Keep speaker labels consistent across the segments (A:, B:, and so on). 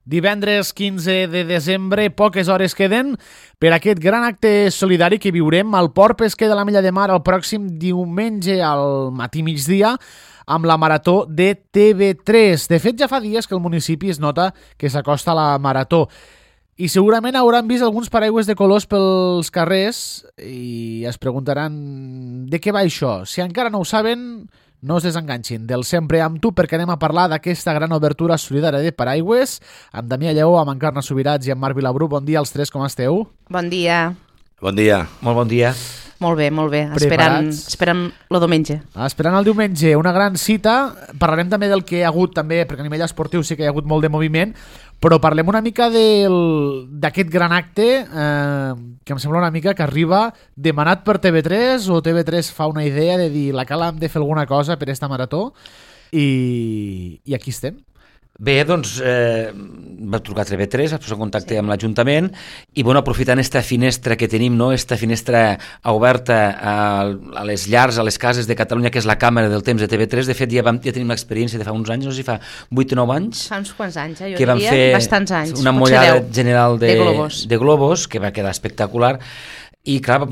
A: Divendres 15 de desembre, poques hores queden per aquest gran acte solidari que viurem al Port Pesquer de l'Ametlla de Mar el pròxim diumenge al matí migdia amb la marató de TV3. De fet, ja fa dies que el municipi es nota que s'acosta a la marató i segurament hauran vist alguns paraigües de colors pels carrers i es preguntaran de què va això. Si encara no ho saben, no es desenganxin del Sempre amb tu, perquè anem a parlar d'aquesta gran obertura solidària de paraigües amb Damià Lleó, amb Encarna Subirats i amb Marc Vilabrú. Bon dia als tres, com esteu?
B: Bon dia.
C: Bon dia.
D: Molt bon dia.
B: Molt bé, molt bé. Esperant el diumenge.
A: Esperant el diumenge, una gran cita. Parlarem també del que hi ha hagut, també, perquè a nivell esportiu sí que hi ha hagut molt de moviment, però parlem una mica d'aquest gran acte que em sembla una mica que arriba demanat per TV3 o TV3 fa una idea de dir la Cala hem de fer alguna cosa per esta marató i aquí estem.
D: Bé, doncs va trucar a TV3, va posar en contacte amb l'Ajuntament i bueno, aprofitant esta finestra que tenim, no? Esta finestra oberta a les llars, a les cases de Catalunya, que és la càmera del temps de TV3, de fet ja tenim l'experiència de fa uns anys, no sé si fa 8 o 9 anys.
B: Fa uns quants anys, jo
D: que
B: diria,
D: fer
B: bastants anys.
D: Una mollada general de globos, que va quedar espectacular. I clar,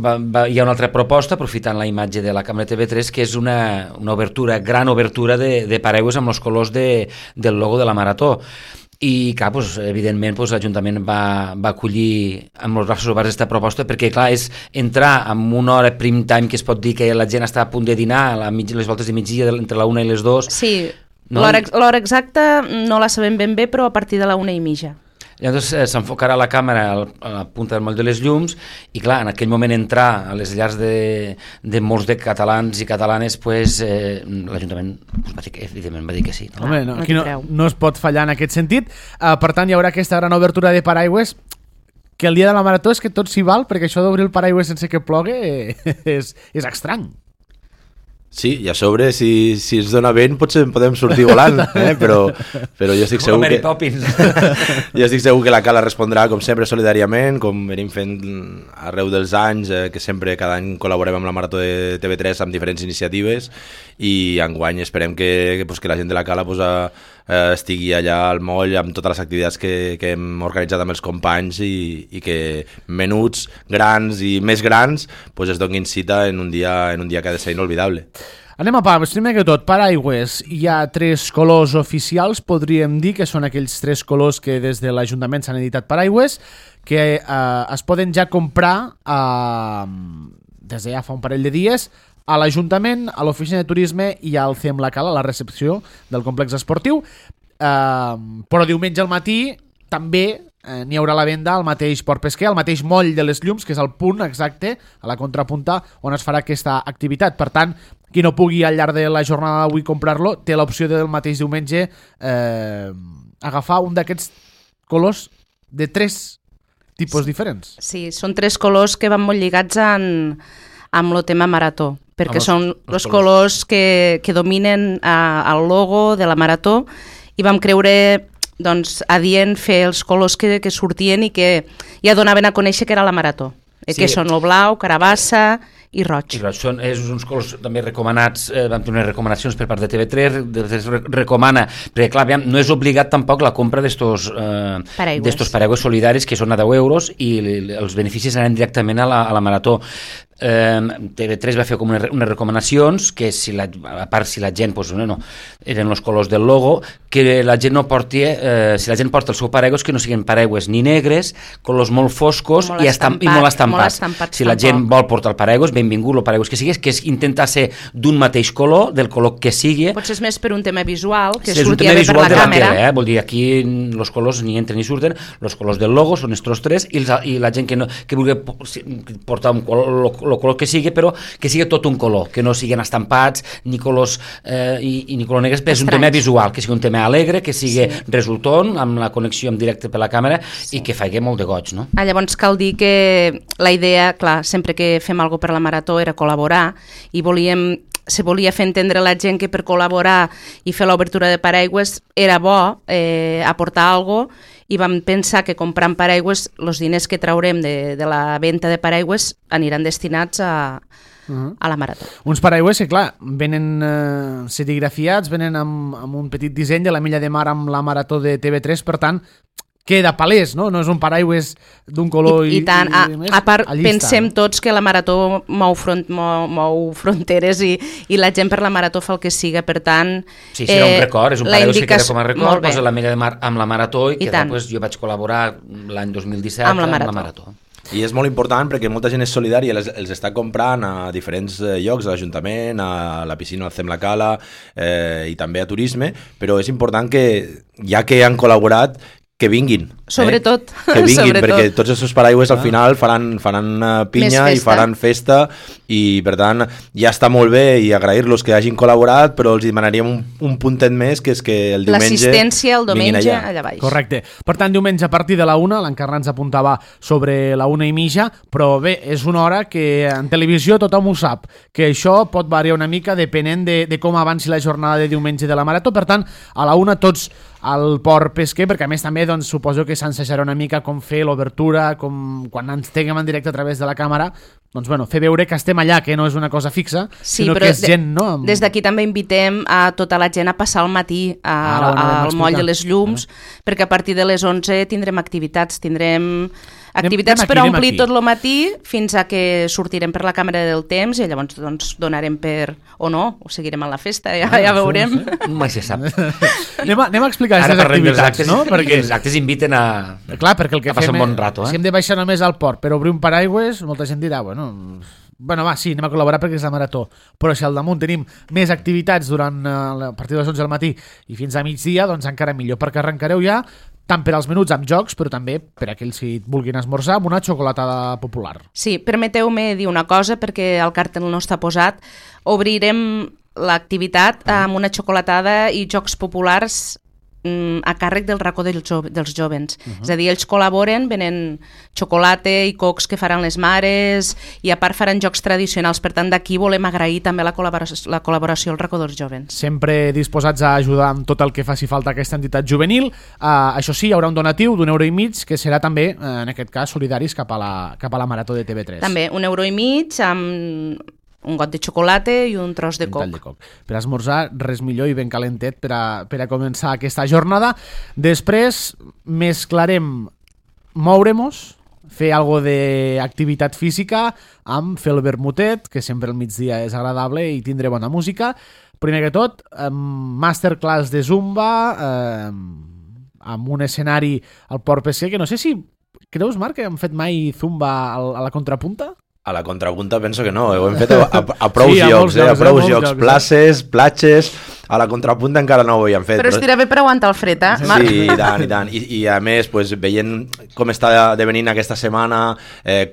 D: hi ha una altra proposta, aprofitant la imatge de la càmera TV3, que és una obertura, gran obertura de paraigües amb els colors del logo de la marató. I clar, doncs, evidentment l'Ajuntament va acollir amb els braços oberts aquesta proposta, perquè clar, és entrar en una hora prime time, que es pot dir que la gent està a punt de dinar, a les voltes de migdia, entre la 1 i les 2.
B: Sí,
D: no?
B: L'hora exacta no la sabem ben bé, però a partir de la 1:30.
D: Llavors s'enfocarà la càmera a la punta del moll de les llums i clar, en aquell moment entrar a les llars de molts de catalans i catalanes, pues, l'Ajuntament va dir que, evidentment va dir que sí.
A: No? Home, aquí no es pot fallar en aquest sentit. Per tant, hi haurà aquesta gran obertura de paraigües que el dia de la marató és que tot s'hi val, perquè això d'obrir el paraigües sense que plogui és estrany.
C: Sí, i a sobre, si es dona vent, potser podem sortir volant, però jo estic segur que... Jo estic segur que la Cala respondrà, com sempre, solidàriament, com venim fent arreu dels anys, que sempre cada any col·laborem amb la Marató de TV3 amb diferents iniciatives, i enguany esperem que la gent de la Cala estigui allà al moll amb totes les activitats que hem organitzat amb els companys i que menuts, grans i més grans es donin cita en un dia que ha de ser inolvidable.
A: Anem a part, primer que tot, paraigües. Hi ha 3 colors oficials, podríem dir que són aquells 3 colors que des de l'Ajuntament s'han editat paraigües, que es poden ja comprar des de ja fa un parell de dies a l'Ajuntament, a l'Oficina de Turisme i al CEM La Cala, a la recepció del complex esportiu. Però diumenge al matí també n'hi haurà la venda al mateix Port Pesquer, al mateix moll de les llums, que és el punt exacte, a la contrapunta, on es farà aquesta activitat. Per tant, qui no pugui al llarg de la jornada d'avui comprar-lo, té l'opció del mateix diumenge agafar un d'aquests colors de 3 tipus diferents.
B: Sí, són 3 colors que van molt lligats amb el tema marató, perquè són els colors que dominen el logo de la marató i vam creure adient fer els colors que sortien i que ja donaven a conèixer que era la marató, que són el blau, carabassa i roig.
D: Són uns colors també recomanats, vam tenir recomanacions per part de TV3, recomana, perquè clar, no és obligat tampoc la compra d'estos paraigües solidaris, que són a 10 euros i els beneficis anaran directament a la marató. TV3 va fer com unes recomanacions que a part si la gent eren els colors del logo, que la gent no porti si la gent porta el seu paraigües, que no siguin paraigües ni negres, colors molt foscos i molt estampats. Si la gent vol portar el paraigües, benvingut el paraigües que sigui, que és intentar ser d'un mateix color, del color que sigui.
B: Potser és més per un tema visual, que
D: surti bé per la càmera. Vol dir, aquí els colors ni entren ni surten, els colors del logo són estos 3 i la gent que vulgui portar el color que sigui, però que sigui tot un color, que no siguin estampats ni colors ni color negres, però és un tema visual, que sigui un tema alegre, que sigui resultant, amb la connexió en directe per la càmera i que faci molt de goig, no?
B: Llavors cal dir que la idea, clar, sempre que fem alguna cosa per la marató era col·laborar i se volia fer entendre a la gent que per col·laborar i fer l'obertura de paraigües era bo aportar alguna cosa i vam pensar que comprant paraigües els diners que traurem de la venda de paraigües aniran destinats a la marató.
A: Uns paraigües que, clar, venen serigrafiats, venen amb un petit disseny de l'Ametlla de Mar amb la marató de TV3, per tant, queda palès, no? No és un paraigües d'un color
B: i tant. A part, pensem tots que la marató mou fronteres i la gent per la marató fa el que siga, per tant...
D: Sí, serà un record, és un paraigües que queda com a record, posa l'Ametlla de Mar amb la marató i jo vaig col·laborar l'any 2017 amb la marató.
C: I és molt important perquè molta gent és solidària, els està comprant a diferents llocs, a l'Ajuntament, a la piscina al Cem la Cala i també a turisme, però és important que, ja que han col·laborat, que vinguin.
B: Sobretot.
C: Que vinguin, perquè tots els paraigües al final faran pinya i faran festa i, per tant, ja està molt bé i agrair-los que hagin col·laborat, però els demanaríem un puntet més, que és que el diumenge
B: l'assistència el diumenge allà baix.
A: Correcte. Per tant, diumenge a partir de la 1, l'Encarna ens apuntava sobre la 1:30, però bé, és una hora que en televisió tothom ho sap, que això pot variar una mica depenent de com avanci la jornada de diumenge de la marató. Per tant, a la 1 tots al Port Pesquer, perquè a més també suposo que s'ensejarà una mica com fer l'obertura, com quan ens tinguem en directe a través de la càmera, doncs bueno, fer veure que estem allà, que no és una cosa fixa, sinó que és gent, no?
B: Des d'aquí també invitem a tota la gent a passar al matí al moll de les llums, perquè a partir de les 11 tindrem activitats per a omplir tot el matí fins a que sortirem per la càmera del temps i llavors doncs donarem per o no, o seguirem a la festa, ja veurem.
D: Mai se sap.
A: Anem a explicar aquestes activitats, no?
D: Perquè els actes inviten a passar un bon rato.
A: Si hem de baixar només al port per obrir un paraigües, molta gent dirà, bueno, va, sí, anem a col·laborar perquè és la marató, però si al damunt tenim més activitats durant a partir de les 11 del matí i fins a migdia, doncs encara millor, perquè arrencareu ja tant per als menuts amb jocs, però també per a aquells que vulguin esmorzar amb una xocolatada popular.
B: Sí, permeteu-me dir una cosa, perquè el cartell no està posat. Obrirem l'activitat amb una xocolatada i jocs populars a càrrec del racó dels jovens. És a dir, ells col·laboren, venen xocolata i cocs que faran les mares i a part faran jocs tradicionals. Per tant, d'aquí volem agrair també la col·laboració al racó dels jovens.
A: Sempre disposats a ajudar amb tot el que faci falta a aquesta entitat juvenil. Això sí, hi haurà un donatiu d'1,50 €, que serà també, en aquest cas, solidaris cap a la marató de TV3.
B: També, 1,50 € amb un got de xocolata i un tros de coc.
A: Per esmorzar, res millor i ben calentet per a començar aquesta jornada. Després mesclarem moure-nos, fer algo d'activitat física amb fer el vermutet, que sempre al migdia és agradable i tindré bona música. Primer que tot, masterclass de Zumba amb un escenari al Port Pesquer, que no sé si creus, Marc, que hem fet mai Zumba a la contrapunta?
C: A la contrapunta penso que no, ho hem fet a prou llocs, a prou llocs, places, platges, a la contrapunta encara no ho havíem fet.
B: Però estirà bé per aguantar el fred,
C: Marc? Sí, i tant. I a més, pues, veient com està devenint aquesta setmana,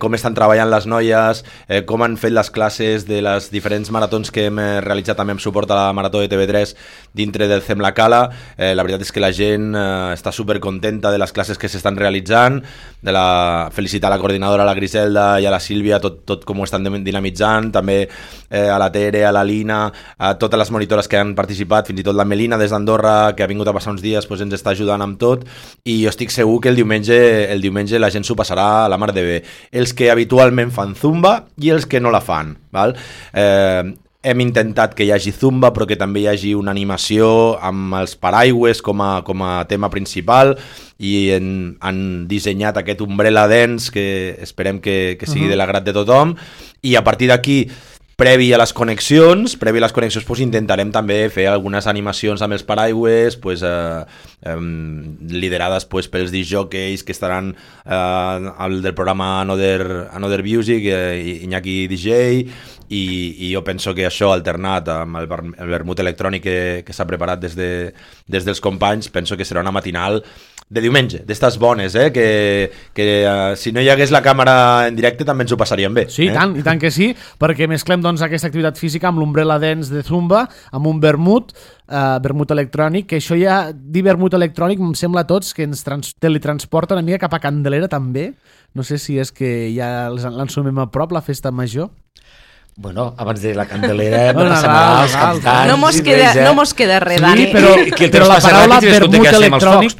C: com estan treballant les noies, com han fet les classes de les diferents maratons que hem realitzat també amb suport a la marató de TV3 dintre del Cem la Cala, la veritat és que la gent està supercontenta de les classes que s'estan realitzant, felicitar a la coordinadora, a la Griselda i a la Sílvia, tot com ho estan dinamitzant, també a la Tere, a la Lina, a totes les monitores que han participat, fins i tot la Melina des d'Andorra, que ha vingut a passar uns dies, doncs ens està ajudant amb tot, i jo estic segur que el diumenge la gent s'ho passarà a la mar de bé. Els que habitualment fan Zumba i els que no la fan, val? Hem intentat que hi hagi Zumba, però que també hi hagi una animació amb els paraigües com a tema principal, i han dissenyat aquest Umbrella Dance que esperem que sigui de l'agrat de tothom, i a partir d'aquí, previ a les connexions, doncs intentarem també fer algunes animacions amb els paraigües, liderades pels discjockeys que estaran al del programa Another Music, Iñaki DJ, i jo penso que això, alternat amb el vermut electrònic que s'ha preparat des dels companys, penso que serà una matinal de diumenge, d'estes bones, que si no hi hagués la càmera en directe també ens ho passaríem bé.
A: Sí, i tant que sí, perquè mesclem doncs aquesta activitat física amb l'Umbrella Dance de Zumba, amb un vermut electrònic, que això ja, dir vermut electrònic em sembla a tots que ens teletransporta una mica cap a Candelera també, no sé si és que ja l'ensumem a prop, la festa major.
D: Bueno, abans de la Candelera, els cantants...
B: No mos queda res, Dani.
A: Sí, però la paraula vermut electrònic...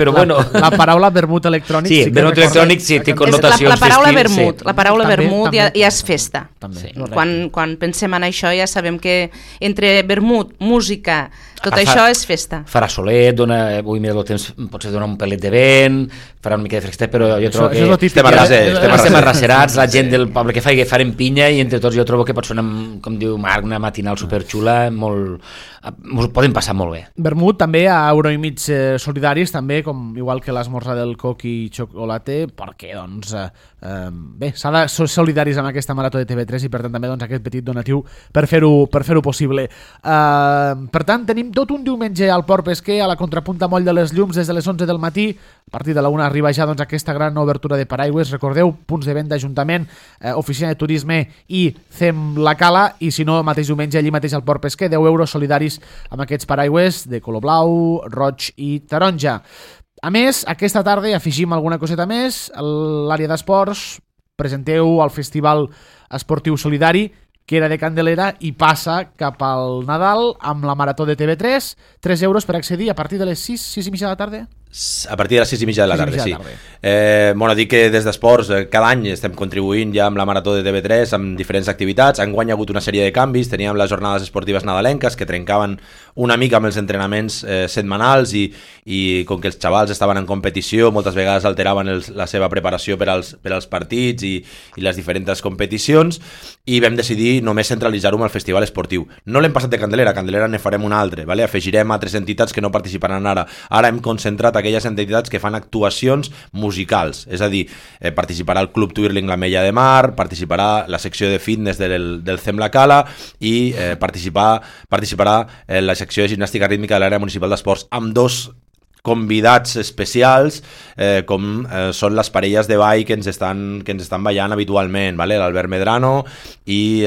A: La paraula vermut electrònic...
D: Sí, vermut electrònic sí, té connotacions
B: festives. La paraula vermut ja és festa. Quan pensem en això ja sabem que entre vermut, música, Tot això és festa.
D: Farà solet, avui mira el temps, potser dona un pelet de vent, farà una mica de fresquet, però jo trobo que estem arracerats, la gent del poble que farem pinya i entre tots jo trobo que pot ser com diu Marc, una matinal superxula, ens ho podem passar molt bé.
A: Vermut també a €1,5 solidaris, també, com igual que l'esmorzar del coc i xocolate, perquè doncs bé, s'ha de ser solidaris amb aquesta marató de TV3 i per tant també doncs, aquest petit donatiu per fer-ho possible. Per tant, tenim tot un diumenge al Port Pesquer, a la contrapunta Moll de les Llums, des de les 11 del matí. A partir de la 1 arriba ja doncs, aquesta gran obertura de paraigües. Recordeu, punts de venda d'Ajuntament, Oficina de Turisme i CEM La Cala, i si no, mateix diumenge allí mateix al Port Pesquer, €10 solidaris amb aquests paraigües de color blau, roig i taronja. A més, aquesta tarda afegim alguna coseta més. A l'àrea d'esports presenteu el Festival Esportiu Solidari, que era de Candelera i passa cap al Nadal amb la marató de TV3, €3 per accedir a partir de les 6 i mitja de la tarda?
C: A partir de les 6 i mitja de la tarda, sí. Bueno, dic que des d'esports cada any estem contribuint ja amb la marató de TV3 amb diferents activitats. Enguany ha hagut una sèrie de canvis. Teníem les jornades esportives nadalenques que trencaven una mica amb els entrenaments setmanals i com que els xavals estaven en competició moltes vegades alteraven la seva preparació per als partits i les diferents competicions, i vam decidir només centralitzar-ho amb el festival esportiu. No l'hem passat de Candelera, a Candelera ne farem un altre, vale? Afegirem altres entitats que no participaran ara hem concentrat aquelles entitats que fan actuacions musicals, és a dir, participarà el Club Twirling La Mella de Mar, participarà la secció de fitness del CEM La Cala i participarà la secció de gimnàstica rítmica de l'àrea municipal d'esports, amb dos convidats especials com són les parelles de ball que ens estan ballant habitualment, vale? L'Albert Medrano i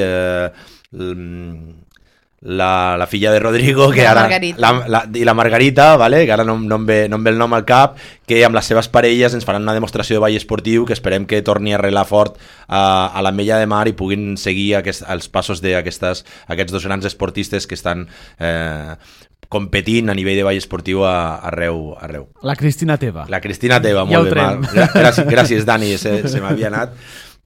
C: la filla de Rodrigo, que ara i la Margarita, vale? Que ara no em ve el nom al cap, que amb les seves parelles ens faran una demostració de ball esportiu que esperem que torni a arrelar fort a la Mella de Mar i puguin seguir els passos d'aquests dos grans esportistes que estan competint a nivell de ball esportiu arreu.
A: La Cristina Teva.
C: La Cristina Teva, molt bé. Gràcies, Dani, se m'havia anat.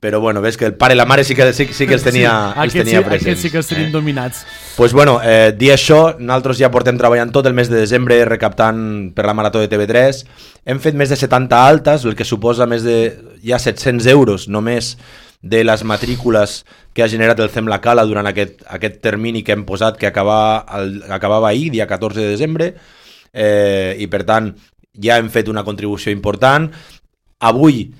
C: Però bueno, ves que el pare i la mare sí que els tenia presents.
A: Aquests sí que els tenim dominats.
C: Pues bueno, dir això, nosaltres ja portem treballant tot el mes de desembre recaptant per la marató de TV3. Hem fet més de 70 altes, el que suposa més de ja 700 euros només de les matrícules que ha generat el CEM La Cala durant aquest termini que hem posat, que acabava ahir, dia 14 de desembre, i per tant ja hem fet una contribució important. Avui,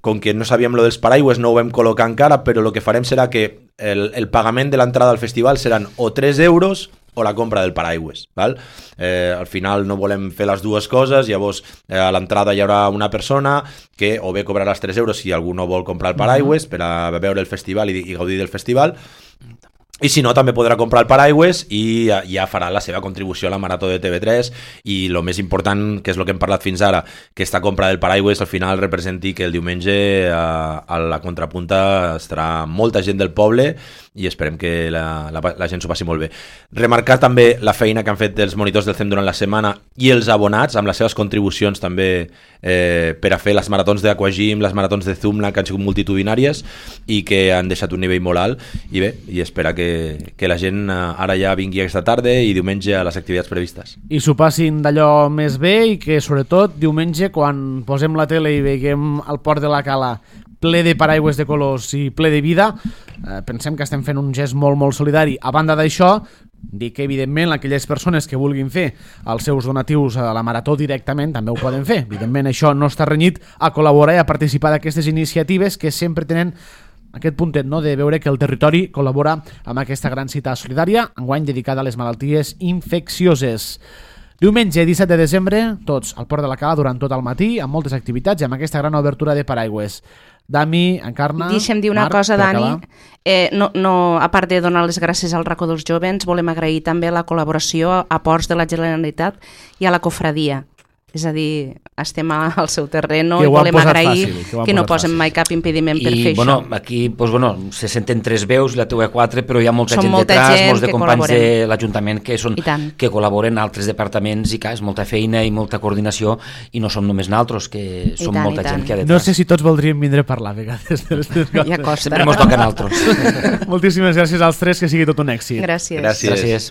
C: com que no sabíem lo dels paraigües, no ho vam col·locar encara, però el que farem serà que el pagament de l'entrada al festival seran o 3 euros o la compra del paraigües, val? Al final no volem fer les dues coses, llavors a l'entrada hi haurà una persona que o bé cobrarà els 3 euros si algú no vol comprar el paraigües per a veure el festival i gaudir del festival, i si no també podrà comprar el paraigües i ja farà la seva contribució a la marató de TV3, i el més important, que és el que hem parlat fins ara, que aquesta compra del paraigües al final representi que el diumenge a la contrapunta estarà molta gent del poble i esperem que la gent s'ho passi molt bé. Remarcar també la feina que han fet els monitors del CEM durant la setmana i els abonats amb les seves contribucions també per a fer les maratons d'Aquagym, les maratons de Zumla, que han sigut multitudinàries i que han deixat un nivell molt alt, i bé, i espera que la gent ara ja vingui aquesta tarda i diumenge a les activitats previstes.
A: I s'ho passin d'allò més bé, i que sobretot diumenge quan posem la tele i veiem el Port de la Cala ple de paraigües de colors i ple de vida, pensem que estem fent un gest molt, molt solidari. A banda d'això, dir que evidentment aquelles persones que vulguin fer els seus donatius a la marató directament també ho poden fer. Evidentment això no està renyit a col·laborar i a participar d'aquestes iniciatives que sempre tenen aquest puntet, no?, de veure que el territori col·labora amb aquesta gran cita solidària, enguany dedicada a les malalties infeccioses. Diumenge 17 de desembre, tots al Port de la Cala durant tot el matí, amb moltes activitats i amb aquesta gran obertura de paraigües. Dami, Encarna,
B: deixa'm dir una
A: Marc,
B: cosa, Dani. A part de donar les gràcies al racó dels jovens, volem agrair també la col·laboració a Ports de la Generalitat i a la Cofradia. És a dir, estem al seu terreno i volem agrair que no posem mai cap impediment per fer
D: això. Aquí se senten 3 veus, la teva 4, però hi ha molta gent detrás, molts de companys de l'Ajuntament que col·laboren a altres departaments, i és molta feina i molta coordinació, i no som només nosaltres, que som molta gent que hi ha detrás.
A: No sé si tots voldríem vindre a parlar a vegades.
B: Ja costa.
D: Sempre mos toca a nosaltres.
A: Moltíssimes gràcies als 3, que sigui tot un èxit.
B: Gràcies.